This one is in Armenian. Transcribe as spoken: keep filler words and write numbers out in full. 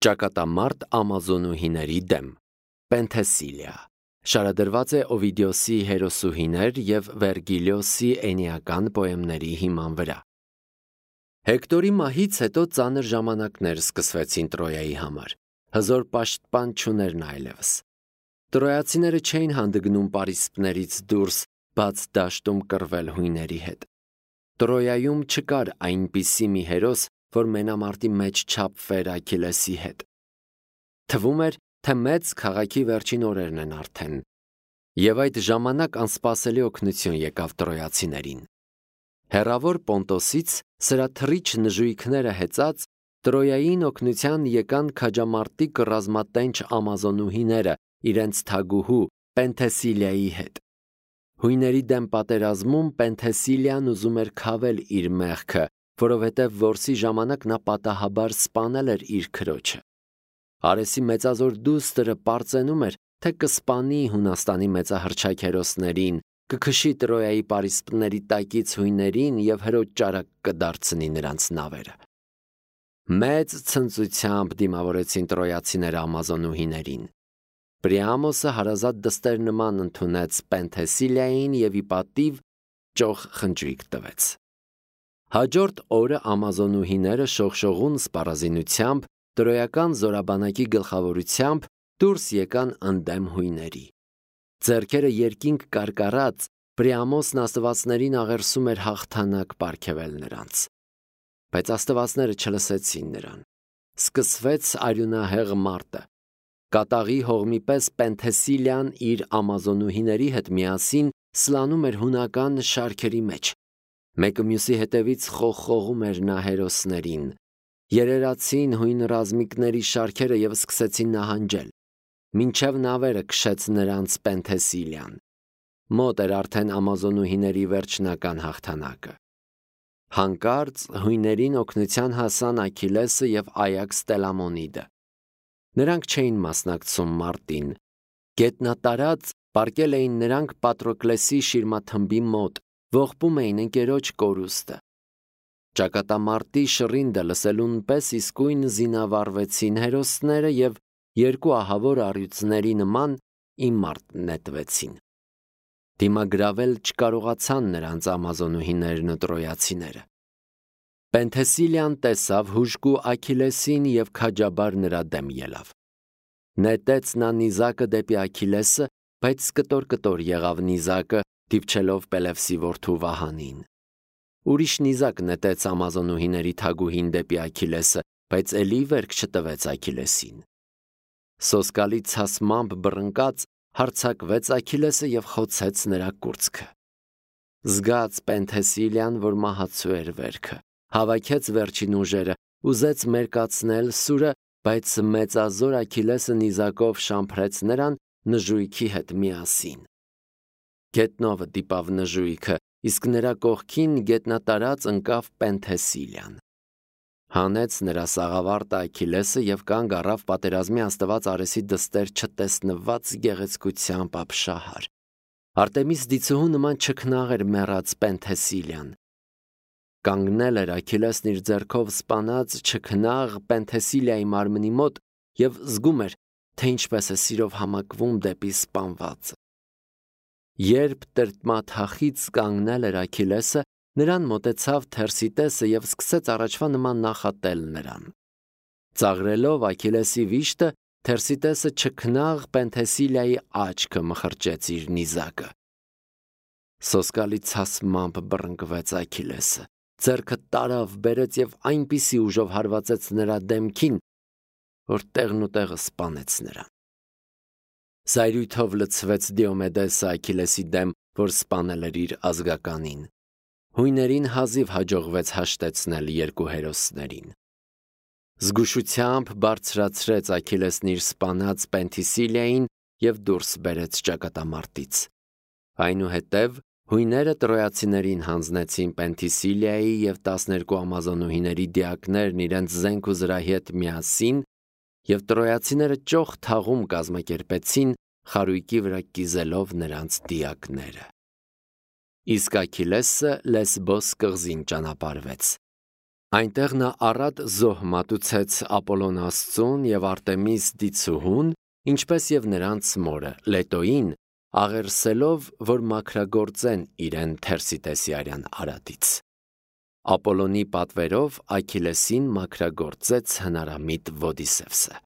Ճակատամարտ ամազոնուհիների դեմ Պենթեսիլիա շարադրված է Օվիդիոսի հերոսուհիներ և Վերգիլիոսի էնիական պոեմների հիման վրա։ Հեկտորի մահից հետո ծանր ժամանակներ սկսվեցին Տրոյայի համար, հզոր պաշտպան չուներն այլևս։ Տրոյացիները չէին հանդգնում պարիսպներից դուրս բաց դաշտում կռվել հույների հետ։ Տրոյայում չկար այնպիսի մի հերոս, որ մենամարտի մեջ չափվեր Աքիլեսի հետ։ Թվում էր, թե մեծ քաղաքի վերջին օրերն են արդեն, և այդ ժամանակ անսպասելի օգնություն եկավ տրոյացիներին։ Հեռավոր Պոնտոսից սրաթռիչ նժույգները հեծած Տրոյային օգնության եկան քաջամարտիկ ռազմատենչ ամազոնուհիները իրենց թագուհու Պենթեսիլիայի հետ։ Հույների դեմ պատերազմում Պենթեսիլիան ուզում էր քավել իր մեղքը, որովհետև որսի ժամանակ նա պատահաբար սպանել էր իր քրոջը։ Արեսի մեծազոր դուստրը պարծենում էր, թե կսպանի Հունաստանի մեծահռչակ հերոսներին, կքշի Տրոյայի պարիսպների տակից հույներին և հրոջ ճարակ կդարձնի նրանց նավերը։ Մեծ ցնծությամբ դիմավորեցին տրոյացիները ամազոնուհիներին։ Պրիամոսը հարազատ դստեր նման ընդունեց Պենթեսիլիային և ի պատիվ ճոխ խնջույք տվեց։ Հաջորդ օրը ամազոնուհիները շողշողուն սպառազինությամբ տրոյական զորաբանակի գլխավորությամբ դուրս եկան ընդդեմ հույների։ Ձեռքերը երկինք կարկառած Պրիամոսն աստվածներին աղերսում էր հաղթանակ պարգևել նրանց։ Բայց աստվածները չլսեցին նրան։ Սկսվեց արյունահեղ մարտը։ Կատաղի հողմի պես Պենթեսիլիան իր ամազոնուհիների հետ միասին սլանում էր հունական շարքերի մեջ։ Մեկը մյուսի հետևից խողխողում էր նա հերոսներին։ Երերացին հույն ռազմիկների շարքերը և սկսեցին նահանջել։ Մինչև նավերը քշեց նրանց Պենթեսիլիան։ Մոտ էր արդեն ամազոնուհիների վերջնական հաղթանակը։ Հանկարծ հույներին օգնության հասան Աքիլեսը և Այաքս Տելամոնիդը։ Նրանք չէին մասնակցում մարտին։ Գետնատարած պառկել էին նրանք Պատրոկլեսի շիրմաթմբի մոտ, ողբում էին ընկերոջ կորուստը։ Ճակատամարտի շռինդը լսելուն պես իսկույն զինավառվեցին հերոսները և երկու ահավոր առյուծների նման ի մարտ նետվեցին։ Դիմագրավել չկարողացան նրանց ամազոնուհիներն ու տրոյացիները։ Պենթեսիլիան տեսավ հուժկու Աքիլեսին և քաջաբար նրա դեմ ելավ։ Նետեց նա նիզակը դեպի Աքիլեսը, բայց կտոր-կտոր եղավ նիզակը, դիպչելով Պելևսի որդու Վահանին։ Ուրիշ նիզակ նետեց ամազոնուհիների թագուհին դեպի Աքիլեսը, բայց էլի վերք չտվեց Աքիլեսին։ Սոսկալի ցասմամբ բռնկած հարձակվեց Աքիլեսը և խոցեց նրա կուրծքը։ Զգաց Պենթեսիլիան, որ մահացու էր վերքը, հավաքեց վերջին ուժերը, ուզեց մերկացնել սուրը, բայց մեծազոր Աքիլեսը նիզակով շամփրեց նրան նժույգի հետ միասին։ Գետնովը դիպավ նժույգը, իսկ նրա կողքին գետնատարած ընկավ Պենթեսիլիան։ Հանեց նրա սաղավարտը Աքիլեսը և կանգ առավ պատերազմի աստված Արեսի դստեր չտեսնված գեղեցկությամբ ապշահար։ Արտեմիս դիցուհու նման չքնաղ էր մեռած Պենթեսիլիան։ Կանգնել էր Աքիլեսն իր ձեռքով սպանած չքնաղ Պենթեսիլիայի մարմնի մոտ և զգում էր, թե ինչպես է սիրով համակվում դեպի սպանվածը։ Երբ տրտմաթախիծ կանգնել էր Աքիլեսը, նրան մոտեցավ Թերսիտեսը և սկսեց առաջվա նման նախատել նրան։ Ծաղրելով Աքիլեսի վիշտը, Թերսիտեսը չքնաղ Պենթեսիլիայի աչքը մխրճեց իր նիզակը։ Սոսկալի ցասմամբ բռնկվեց Աքիլեսը, ձեռքը տարավ բերեց և այնպիսի ուժով հարվածեց նրա դեմքին, որ տեղն ու տեղը սպանեց նրան։ Զայրույթով լցվեց Դիոմեդեսը Աքիլեսի դեմ, որ սպանել էր իր ազգականին։ Հույներին հազիվ հաջողվեց հաշտեցնել երկու հերոսներին։ Զգուշությամբ բարձրացրեց Աքիլեսն իր սպանած Պենթեսիլիային և դուրս բերեց ճակատամարտից։ Այնուհետև հույները տրոյացիներին հանձնեցին Պենթեսիլիայի և տասներկու ամազոնուհիների դիակներն իրենց զենք ու զրահի հետ միասին, և տրոյացիները ճոխ թաղում կազմակերպեցին, խարույկի վրա կիզելով նրանց դիակները։ Իսկ Աքիլեսը Լեսբոս կղզին ճանապարհվեց։ Այնտեղ նա առատ զոհ մատուցեց Ապոլոն Աստծուն և Արտեմիս դիցուհուն, ինչպես և նրանց մորը Լետոին, աղերսելով, որ մաքրագործեն իրեն Թերսիտեսիարյան արատից։ Ապոլոնի պատվերով Այքիլեսին մաքրագործեց հնարամիտ Ոդիսևսը։